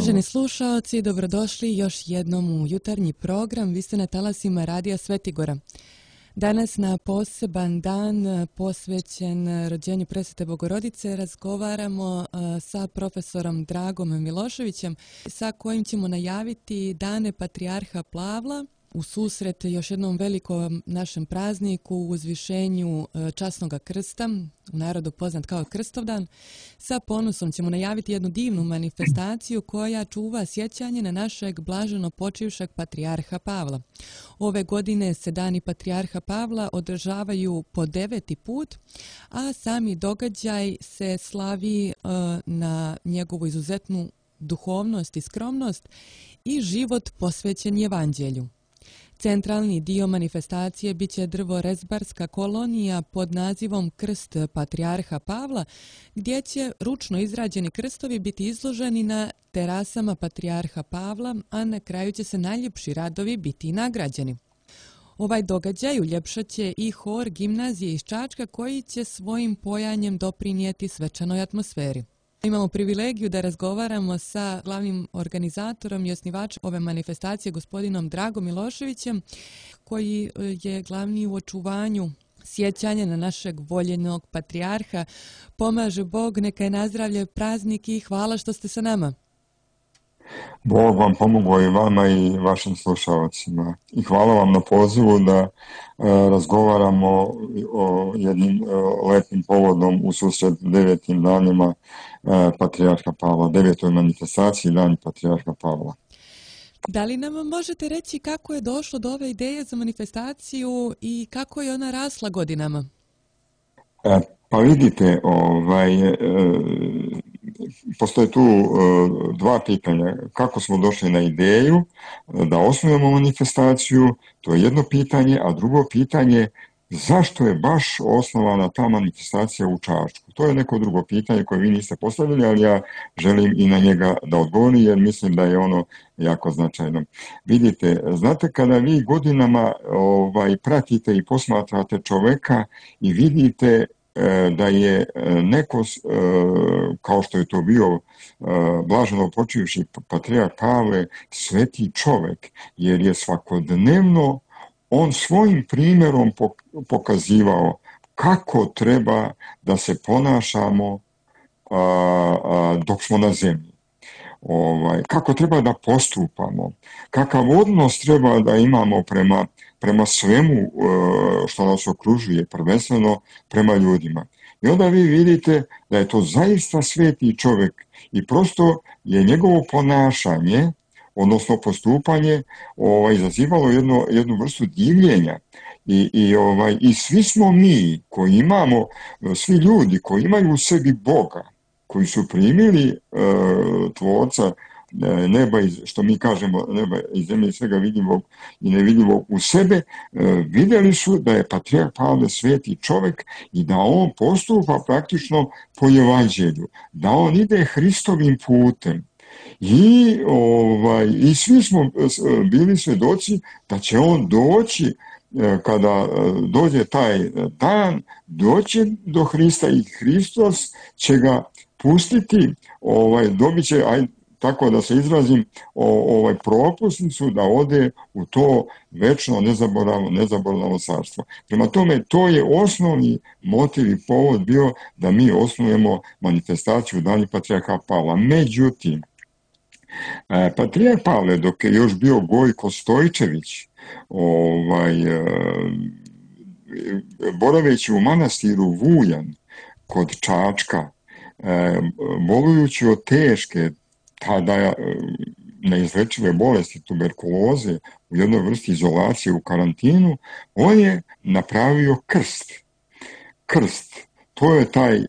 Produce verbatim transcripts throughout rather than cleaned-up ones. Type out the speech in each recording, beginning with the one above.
Uvaženi slušaoci, dobrodošli još jednom u jutarnji program. Vi ste na talasima Radija Svetigora. Danas na poseban dan posvećen rođenju Presvete Bogorodice razgovaramo sa profesorom Dragom Miloševićem, sa kojim ćemo najaviti dane Patrijarha Pavla u susret još jednom velikom našem prazniku, uzvišenju časnog krsta, u narodu poznat kao Krstovdan. Sa ponosom ćemo najaviti jednu divnu manifestaciju koja čuva sjećanje na našeg blaženo počivšeg Patrijarha Pavla. Ove godine se dani Patrijarha Pavla održavaju po deveti put, a sami događaj se slavi uh, na njegovu izuzetnu duhovnost i skromnost i život posvećen Evanđelju. Centralni dio manifestacije biće drvorezbarska kolonija pod nazivom Krst Patrijarha Pavla, gdje će ručno izrađeni krstovi biti izloženi na terasama Patrijarha Pavla, a na kraju će se najljepši radovi biti nagrađeni. Ovaj događaj uljepšat će i hor gimnazije iz Čačka, koji će svojim pojanjem doprinijeti svečanoj atmosferi. Imamo privilegiju da razgovaramo sa glavnim organizatorom i osnivačem ove manifestacije, gospodinom Dragom Miloševićem, koji je glavni u očuvanju sjećanja na našeg voljenog patrijarha. Pomaže Bog, neka je nazdravlje praznik i hvala što ste sa nama. Bog vam pomogao i vama i vašim slušalcima. I hvala vam na pozivu da e, razgovaramo o jednim e, lepim povodom u susret devetim danima e, Patrijarha Pavla, devetoj manifestaciji dani Patrijarha Pavla. Da li nam možete reći kako je došlo do ove ideje za manifestaciju i kako je ona rasla godinama? E, pa vidite, ovaj... E, Postoje tu uh, dva pitanja. Kako smo došli na ideju da osnujemo manifestaciju, to je jedno pitanje, a drugo pitanje, zašto je baš osnovana ta manifestacija u Čačku? To je neko drugo pitanje koje vi niste postavili, ali ja želim i na njega da odgovorim, jer mislim da je ono jako značajno. Vidite, znate, kada vi godinama ovaj, pratite i posmatrate čoveka i vidite da je neko, kao što je to bio blaženo počivši Patrijarh Pavle, sveti čovek, jer je svakodnevno on svojim primjerom pokazivao kako treba da se ponašamo dok smo na zemlji. Ovaj, kako treba da postupamo, kakav odnos treba da imamo prema, prema svemu što nas okružuje, prvenstveno prema ljudima. I onda vi vidite da je to zaista sveti čovjek i prosto je njegovo ponašanje, odnosno postupanje, ovaj, izazivalo jedno, jednu vrstu divljenja. I, i, ovaj, I svi smo mi koji imamo, svi ljudi koji imaju u sebi Boga, koji su primili uh, tvorca uh, neba, iz, što mi kažemo neba i zemlje i svega vidljivog i nevidljivog u sebe, uh, vidjeli su da je Patrijarh Pavle sveti čovjek i da on postupa praktično po Evanđelju, da on ide Hristovim putem. I, ovaj, i svi smo bili svjedoci da će on doći, kada dođe taj dan, doći do Hrista i Hristos će ga pustiti, ovaj, dobit će, aj, tako da se izrazim, o, ovaj, propusnicu da ode u to večno nezaboravno, nezaboravno carstvo. Prema tome, to je osnovni motiv i povod bio da mi osnujemo manifestaciju dani Patrijarha Pavla. Međutim, Patrijarh Pavle, dok je još bio Gojko Stojčević, ovaj, boraveći u manastiru Vujan kod Čačka, bolujući od teške, tada neizlečive bolesti, tuberkuloze, u jednoj vrsti izolacije u karantinu, on je napravio krst. Krst. To je taj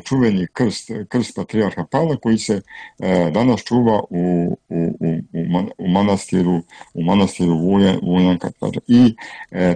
čuveni krst, krst Patrijarha Pavla koji se danas čuva u, u, u, u manastiru, u manastiru Vujan, Vujan I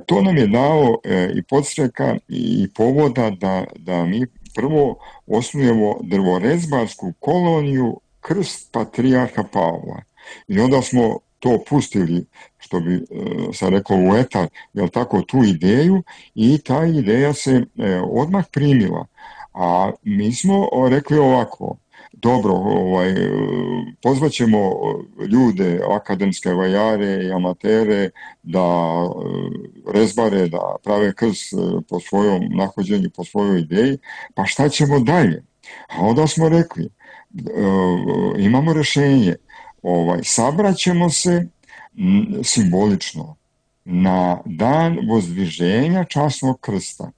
to nam je dao i podstreka i povoda da, da mi prvo osnujemo drvorezbarsku koloniju Krst Patrijarha Pavla. I onda smo to pustili, što bi se reklo u etar, jel tako, tu ideju, i ta ideja se odmah primila. A mi smo rekli ovako, dobro, ovaj, pozvaćemo ljude, akademske vajare i amatere da rezbare, da prave krst po svojom nahođenju, po svojoj ideji, pa šta ćemo dalje? A onda smo rekli, imamo rješenje, ovaj, sabraćemo se simbolično na dan vozdviženja časnog krsta,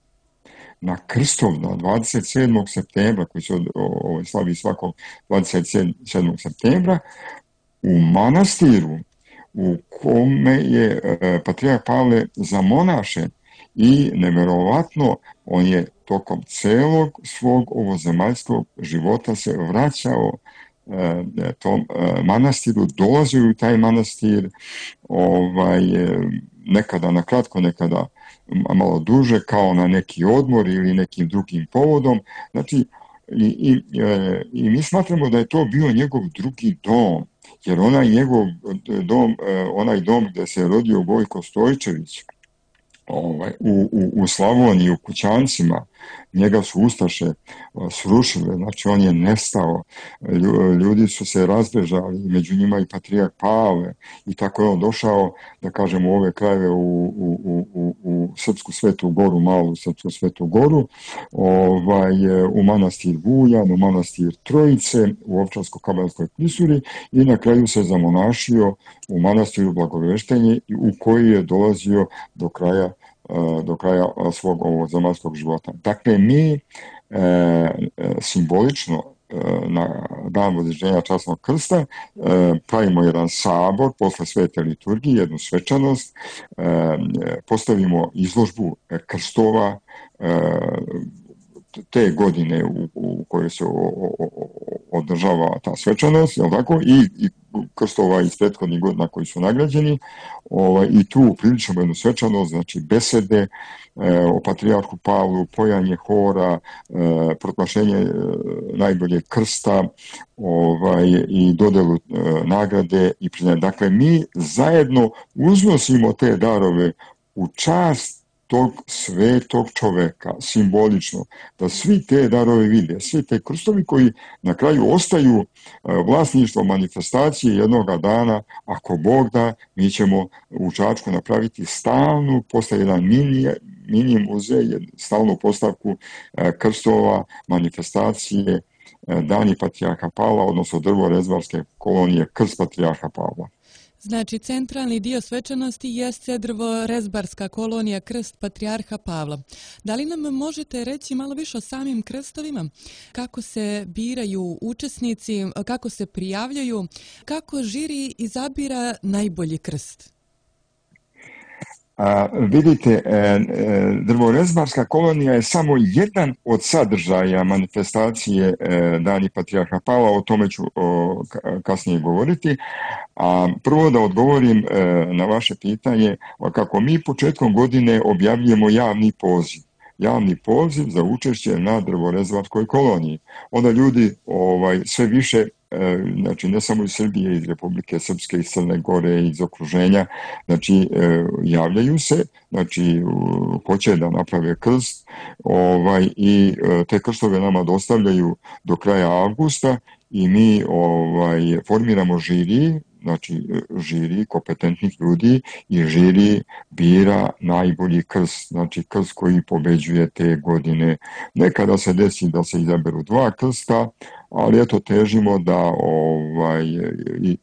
na Krstovdan dvadeset sedmog septembra, koji se ovaj, slavi svakog dvadeset sedmog septembra, u manastiru u kome je e, patrijarh Pavle zamonašen i nevjerovatno on je tokom celog svog ovozemaljskog života se vraćao e, tom e, manastiru, dolazio u taj manastir, ovaj, nekada na kratko, nekada malo duže, kao na neki odmor ili nekim drugim povodom. Znači, i, i, e, i mi smatramo da je to bio njegov drugi dom, jer onaj njegov dom, onaj dom gdje se rodio Gojko Stojčević, ovaj, u, u, u Slavoniji, u Kućancima, njega su ustaše srušile, znači on je nestao, ljudi su se razbežali, među njima i patrijarh Pavle, i tako je on došao, da kažemo, u ove krajeve u, u, u, u Srpsku Svetu Goru, malu Srpsku Svetu Goru, ovaj, u manastir Vujan, u manastir Trojice, u Ovčarsko-Kablarskoj klisuri, i na kraju se zamonašio u manastiru Blagoveštenje, u koji je dolazio do kraja do kraja svog ovozemaljskog života. Dakle, mi e, simbolično e, na dan vozdviženja časnog krsta e, pravimo jedan sabor posle svete liturgije, jednu svečanost, e, postavimo izložbu krstova e, te godine u, u kojoj se o, o, održava ta svečanost, jel tako, i, i krstova iz prethodnih godina koji su nagrađeni, ovaj, i tu priličimo jednu svečanost, znači besede e, o patrijarhu Pavlu, pojanje hora, e, proglašenje e, najboljeg krsta, ovaj, i dodelu e, nagrade i priznanje. Dakle, mi zajedno uznosimo te darove u čast tog svetog čoveka, simbolično, da svi te darove vide, svi te krstovi koji na kraju ostaju vlasništvo manifestacije jednoga dana, ako Bog da, mi ćemo u Čačku napraviti stalnu, postaje jedan mini, mini muzej, stalnu postavku krstova, manifestacije, Dani patrijarha Pavla, odnosno drvo-rezbarske kolonije Krst patrijarha Pavla. Znači, centralni dio svečanosti jeste drvo-rezbarska kolonija Krst patrijarha Pavla. Da li nam možete reći malo više o samim krstovima? Kako se biraju učesnici, kako se prijavljaju, kako žiri izabira najbolji krst? A, vidite, e, drvo-rezbarska kolonija je samo jedan od sadržaja manifestacije e, Dani patrijarha Pavla, o tome ću o, kasnije govoriti. A prvo da odgovorim e, na vaše pitanje, kako mi početkom godine objavljujemo javni poziv. Javni poziv za učešće na drvo-rezbarskoj koloniji. Onda ljudi ovaj, sve više, e, znači ne samo iz Srbije, iz Republike Srpske, iz Crne Gore, iz okruženja, znači e, javljaju se, znači hoće da naprave krst, ovaj, i e, te krstove nama dostavljaju do kraja avgusta i mi ovaj, formiramo žiri, znači žiri kompetentnih ljudi, i žiri bira najbolji krst, znači krst koji pobeđuje te godine. Nekada se desi da se izaberu dva krsta, ali eto težimo da ovaj,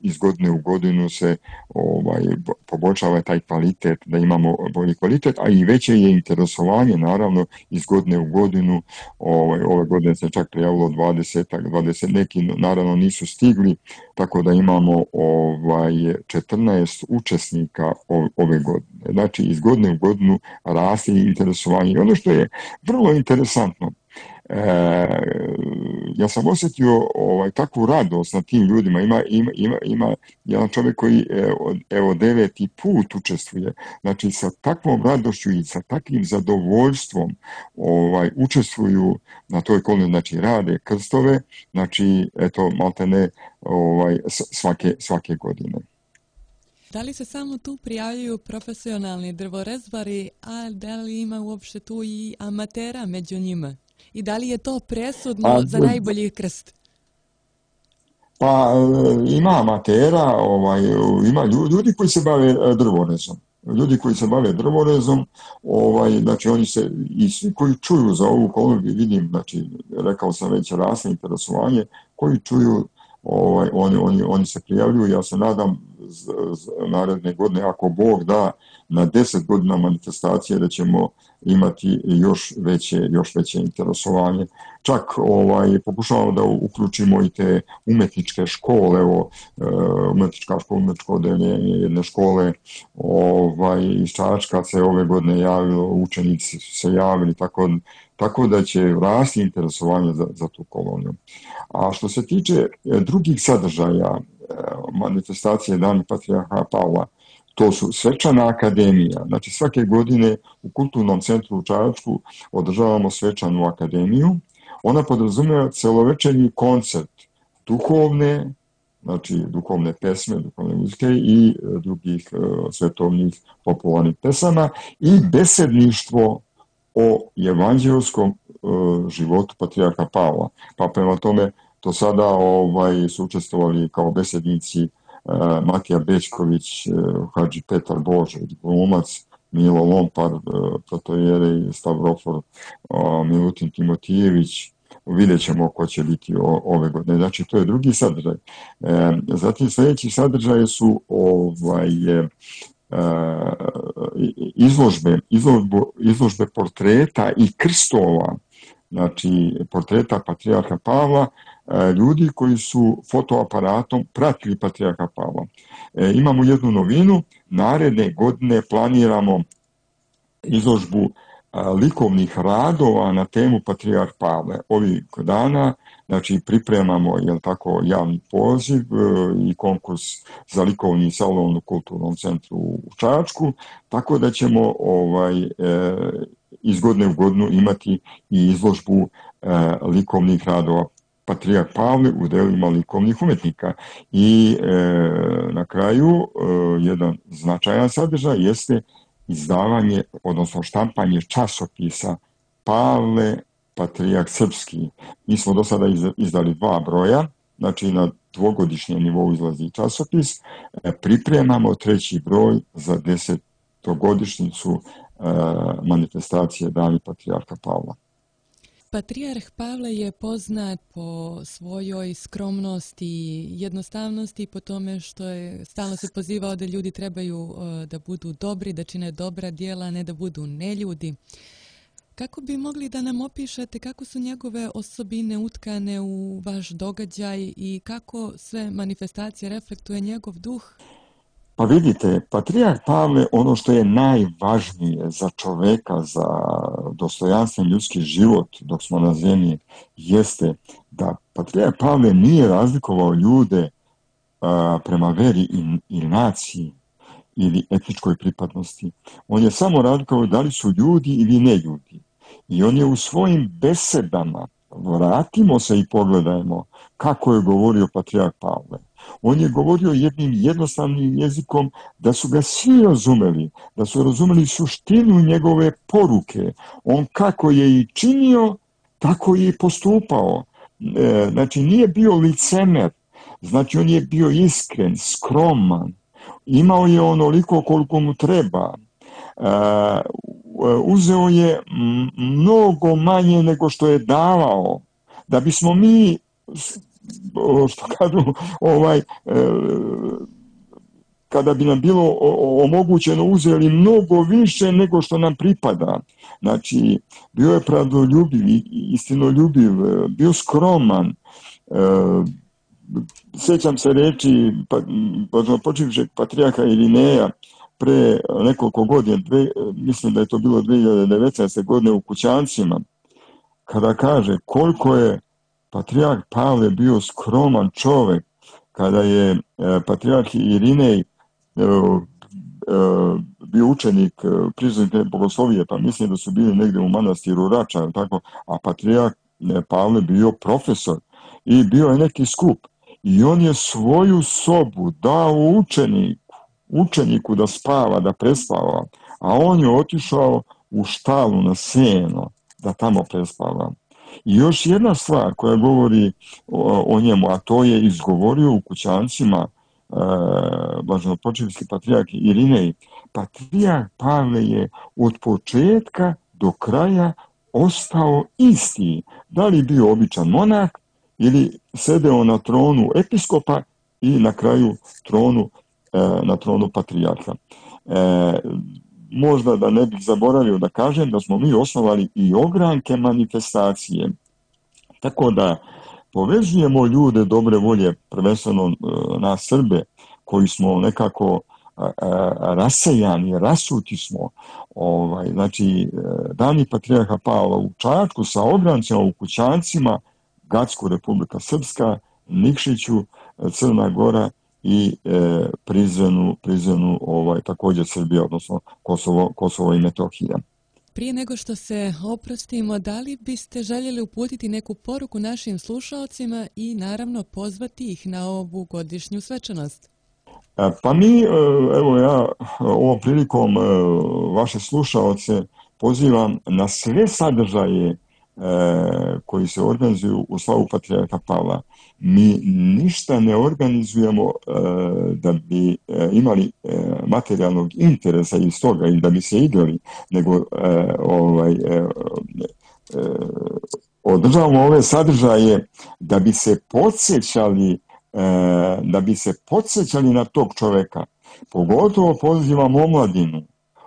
iz godine u godinu se ovaj, poboljšava taj kvalitet, da imamo bolji kvalitet, a i veće je interesovanje, naravno, iz godine u godinu. Ovaj, ove godine se čak prijavilo dvadeset, dvadeset, neki naravno nisu stigli, tako da imamo ovaj, četrnaest učesnika ove godine. Znači, iz godine u godinu raste interesovanje. I ono što je vrlo interesantno, E, ja sam osjetio ovaj, takvu radost na tim ljudima. Ima, ima, ima, ima jedan čovjek koji evo, evo deveti put učestvuje. Znači, sa takvom radošću i sa takvim zadovoljstvom ovaj, učestvuju na toj koloniji, znači rade krstove, znači, eto, maltene ovaj, svake, svake godine. Da li se samo tu prijavljuju profesionalni drvorezbari, a da li ima uopšte tu i amatera među njima? I da li je to presudno a, za najbolji krst? Pa ima amatera, ovaj, ima ljudi koji se bave drvorezom. Ljudi koji se bave drvorezom, ovaj, znači oni se, i svi koji čuju za ovu kolegu, vidim, znači, rekao sam već, rasno interesovanje, koji čuju, ovaj, oni, oni, oni se prijavljuju. Ja se nadam z, z, naredne godine, ako Bog da, na deset godina manifestacije da ćemo imati još veće, još veće interesovanje. Čak ovaj, pokušavamo da uključimo i te umetničke škole, evo, umetnička škola, umetničko odeljenje jedne škole ovaj, iz Čačka se ove godine javilo, učenici su se javili, tako, tako da će rasti interesovanje za, za tu koloniju. A što se tiče drugih sadržaja manifestacije Dani Patrijarha Pavla, to su svečana akademija. Znači svake godine u Kulturnom centru u Čačku održavamo svečanu akademiju. Ona podrazumijeva celovečernji koncert duhovne, znači duhovne pesme, duhovne muzike i drugih uh, svetovnih popularnih pesama i besedništvo o evanđelskom uh, životu Patrijarha Pavla. Pa prema tome to sada ovaj, su učestvovali kao besednici uh, Matija Bećković, uh, Hadži Petar Božović, glumac, Milo Lompar, uh, protojerej Stavrofor, uh, Milutin Timotijević. Vidjet ćemo ko će biti o, ove godine. Znači, to je drugi sadržaj. E, zatim sljedeći sadržaj su ovaj, e, izložbe, izložbe, izložbe portreta i krstova, znači portreta Patrijarha Pavla, e, ljudi koji su fotoaparatom pratili Patrijarha Pavla. E, imamo jednu novinu, naredne godine planiramo izložbu likovnih radova na temu Patrijarh Pavle. Ovih dana, znači, pripremamo, jel tako, javni poziv i konkurs za likovni salon u Kulturnom centru u Čačku, tako da ćemo ovaj, e, iz godine u godinu imati i izložbu e, likovnih radova Patrijarh Pavle u delima likovnih umetnika. I e, na kraju e, jedan značajan sadržaj jeste izdavanje, odnosno štampanje časopisa Pavle Patrijarh Srpski. Mi smo do sada izdali dva broja, znači na dvogodišnjem nivou izlazi časopis. Pripremamo treći broj za desetogodišnjicu manifestacije Dani Patrijarha Pavla. Patrijarh Pavle je poznat po svojoj skromnosti i jednostavnosti, po tome što je stalno se pozivao da ljudi trebaju uh, da budu dobri, da čine dobra djela, ne da budu neljudi. Kako bi mogli da nam opišete kako su njegove osobine utkane u vaš događaj i kako sve manifestacije reflektuje njegov duh? Pa vidite, Patrijarh Pavle, ono što je najvažnije za čoveka, za dostojanstven ljudski život dok smo na zemlji, jeste da Patrijarh Pavle nije razlikovao ljude a, prema veri i, i naciji ili etničkoj pripadnosti. On je samo razlikovao da li su ljudi ili ne ljudi. I on je u svojim besedama, vratimo se i pogledajmo kako je govorio Patrijarh Pavle. On je govorio jednim jednostavnim jezikom da su ga svi razumeli, da su razumeli suštinu njegove poruke. On kako je i činio, tako je i postupao. E, znači nije bio licemer, znači on je bio iskren, skroman, imao je onoliko koliko mu treba. E, uzeo je mnogo manje nego što je davao, da bismo mi, što kažu, ovaj, kada bi nam bilo omogućeno, uzeli mnogo više nego što nam pripada. Znači, bio je pravdoljubiv, istinoljubiv, bio skroman. Sjećam se reči počivšeg patrijarha Irineja pre nekoliko godina, dve, mislim da je to bilo dvije hiljade devetnaeste. godine u Kućancima, kada kaže koliko je Patrijarh Pavle bio skroman čovjek, kada je e, Patrijarh Irinej e, e, bio učenik e, priznate bogoslovije, pa mislim da su bili negdje u manastiru Rača, tako, a Patrijarh Pavle bio profesor i bio je neki skup. I on je svoju sobu dao učeniku, učeniku da spava, da prespava, a on je otišao u štalu na seno da tamo prespava. I još jedna stvar koja govori o, o njemu, a to je izgovorio u kućancima e, blaženopočivski patrijarh Irinej. Patrijarh Pavle je od početka do kraja ostao isti. Da li bio običan monah ili sedeo na tronu episkopa i na kraju tronu, e, na tronu patrijarha. E, možda da ne bih zaboravio da kažem da smo mi osnovali i ogranke manifestacije. Tako da povezujemo ljude dobre volje, prvenstveno na Srbe, koji smo nekako a, a, rasejani, rasuti smo. Ovaj, znači, dani patrijarha Pavla u Čačku sa ograncima u kućancima, Gacku, Republika Srpska, Nikšiću, Crna Gora i e, Prizrenu, Prizrenu ovaj, također Srbija, odnosno Kosovo, Kosovo i Metohija. Prije nego što se oprostimo, da li biste željeli uputiti neku poruku našim slušalcima i naravno pozvati ih na ovu godišnju svečanost? Pa mi, evo ja ovom prilikom vaše slušalce pozivam na sve sadržaje koji se organizuju u slavu patrijarha Pavla. Mi ništa ne organizujemo da bi imali materijalnog interesa iz toga i da bi se igrali, nego ovaj, održavamo ove sadržaje da bi se podsjećali da bi se podsjećali na tog čoveka. Pogotovo pozivam omladinu,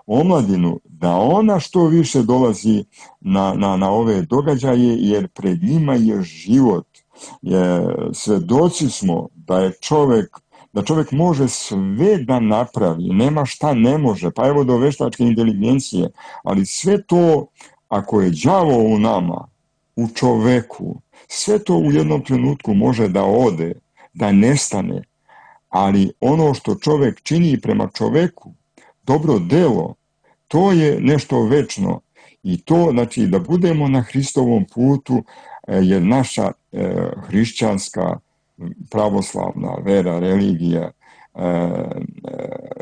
omladinu da ona što više dolazi na, na, na ove događaje, jer pred njima je život. Je, svedoci smo da je čovjek, da čovjek može sve da napravi, nema šta ne može, pa evo do veštačke inteligencije, ali sve to, ako je đavo u nama, u čoveku, sve to u jednom trenutku može da ode, da nestane, ali ono što čovjek čini prema čoveku, dobro delo, to je nešto večno i to, znači, da budemo na Hristovom putu, jer naša e, hrišćanska pravoslavna vera, religija e,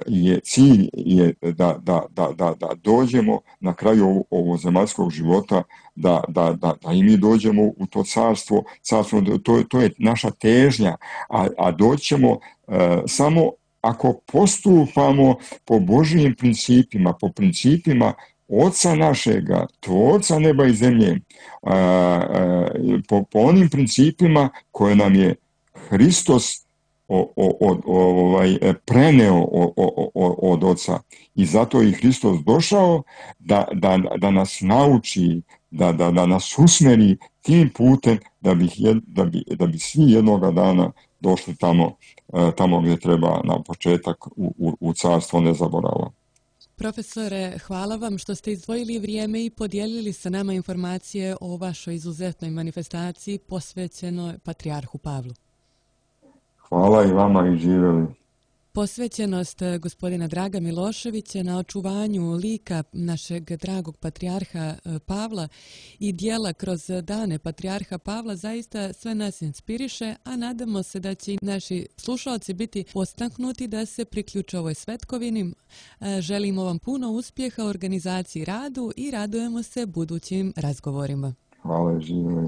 je cilj je da, da, da, da, da dođemo na kraju ovog zemaljskog života, da, da, da, da i mi dođemo u to carstvo, carstvo to, to je naša težnja, a, a doćemo e, samo ako postupamo po Božijim principima, po principima Oca našega, Tvorca neba i zemlje, a, a, po, po onim principima koje nam je Hristos o, o, o, ovaj, preneo o, o, o, od Oca. I zato je Hristos došao da, da, da nas nauči, da, da, da nas usmeri tim putem da bi, da bi, da bi svi jednoga dana došli tamo, tamo gdje treba na početak u, u, u carstvo nezaborava. Profesore, hvala vam što ste izdvojili vrijeme i podijelili sa nama informacije o vašoj izuzetnoj manifestaciji posvećenoj patrijarhu Pavlu. Hvala i vama i živjeli. Posvećenost gospodina Draga Miloševića na očuvanju lika našeg dragog patrijarha Pavla i dijela kroz dane patrijarha Pavla zaista sve nas inspiriše, a nadamo se da će i naši slušalci biti postaknuti da se priključe ovoj svetkovini. Želimo vam puno uspjeha u organizaciji radu i radujemo se budućim razgovorima. Hvala i živjeli.